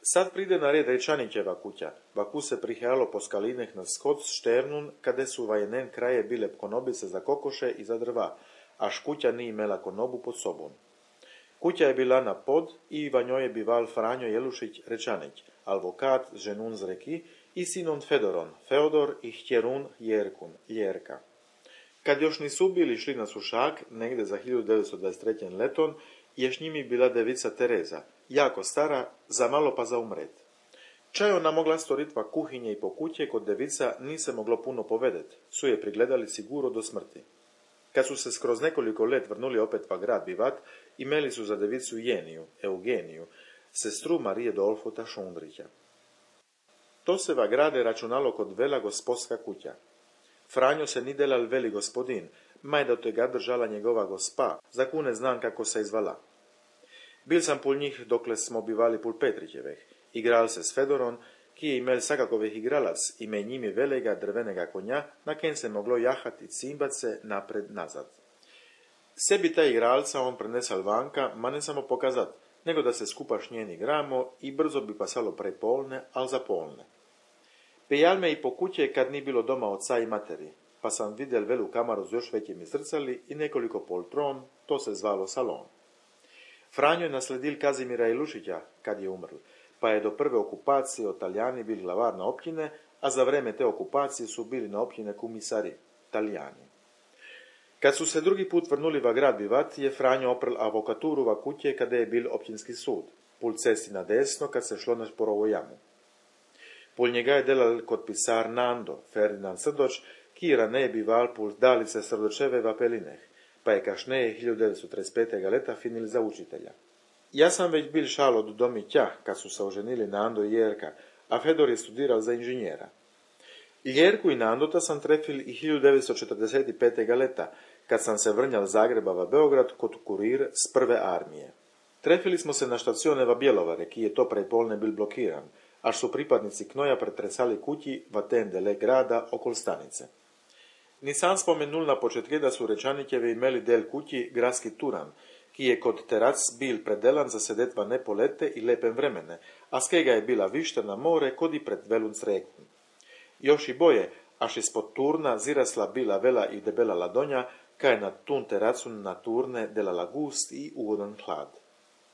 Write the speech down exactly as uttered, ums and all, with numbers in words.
Sad pride na red Rečanićeva kuća, vaku se prihajalo po skalineh na skot s šternun, kade su vajenen kraje bile konobice za kokoše i za drva, až kuća ni imela konobu pod sobom. Kuća je bila na pod i iva njoj je bival Franjo Jelušić Rečanić, alvokat ženun z reki i sinon Fedoron, Feodor i htjerun Jerkun, Ljerka. Kad još nisu bili šli na sušak, negde za hiljadu devetsto dvadeset treće. leton, je s njimi bila devica Tereza, jako stara, za malo pa za umret. Čaj ona mogla storitva kuhinje i po kuće, kod devica ni se moglo puno povedet, su je prigledali siguro do smrti. Kad su se skroz nekoliko let vrnuli opet va grad bivat, imeli su za devicu Jeniju, Eugeniju, sestru Marije Dolfota Šundrića. To se va grade računalo kod vela gospodska kuća. Franjo se ni delal veli gospodin, maj da te ga držala njegova gospa, za kune znam kako se izvala. Bil sam pul njih dokle smo bivali pul Petrićeveh, igral se s Fedoron, ki je imel sakakovih igralac, ime njimi velega drvenega konja, na ken se moglo jahat i cimbat se napred-nazad. Sebi ta igralca on prenesal vanka, ma ne samo pokazat, nego da se skupa šnjeni igramo i brzo bi pasalo pre polne, al za polne. Pejal me i po kuće kad ni bilo doma oca i materi, pa sam vidjel velu kamaru s još većim zrcali i nekoliko poltron, to se zvalo salon. Franjo je nasledil Kazimira Jelušića kad je umrl, pa je do prve okupacije od Talijani bili glavar na općine, a za vreme te okupacije su bili na općine kumisari, Talijani. Kad su se drugi put vrnuli va grad bivat, je Franjo oprl avokaturu va kuće kada je bil općinski sud, pul cesti na desno kad se šlo na Šporovu jamu. Pul njega je delal kod pisar Nando, Ferdinand Srdoč, ki raneje bival pul dalice Srdočeve va Pelineh, pa je kašneje hiljadu devetsto trideset pete. leta finil za učitelja. Ja sam već bil šal od domi tja, kad su se oženili Nando i Jerka, a Fedor je studiral za inženjera. Jerku i Nandota sam trefil i hiljadu devetsto četrdeset pete. leta, kad sam se vrnjal Zagreba va Beograd kod kurir s prve armije. Trefili smo se na štacione va Bjelovare, ki je to prej polne bil blokiran, až su pripadnici Knoja pretresali kući va ten dele grada okol stanice. Nisam spomenul na početke da su Rečanićevi imeli del kući gradski turan, ki je kod terac bil predelan za sedetva nepolete i lepem vremene, a skega je bila višta na more kod i pred velun sreknu. Još i boje, až ispod turna zirasla bila vela i debela ladonja, kaj na tun teracu na turne delala gust i ugodan hlad.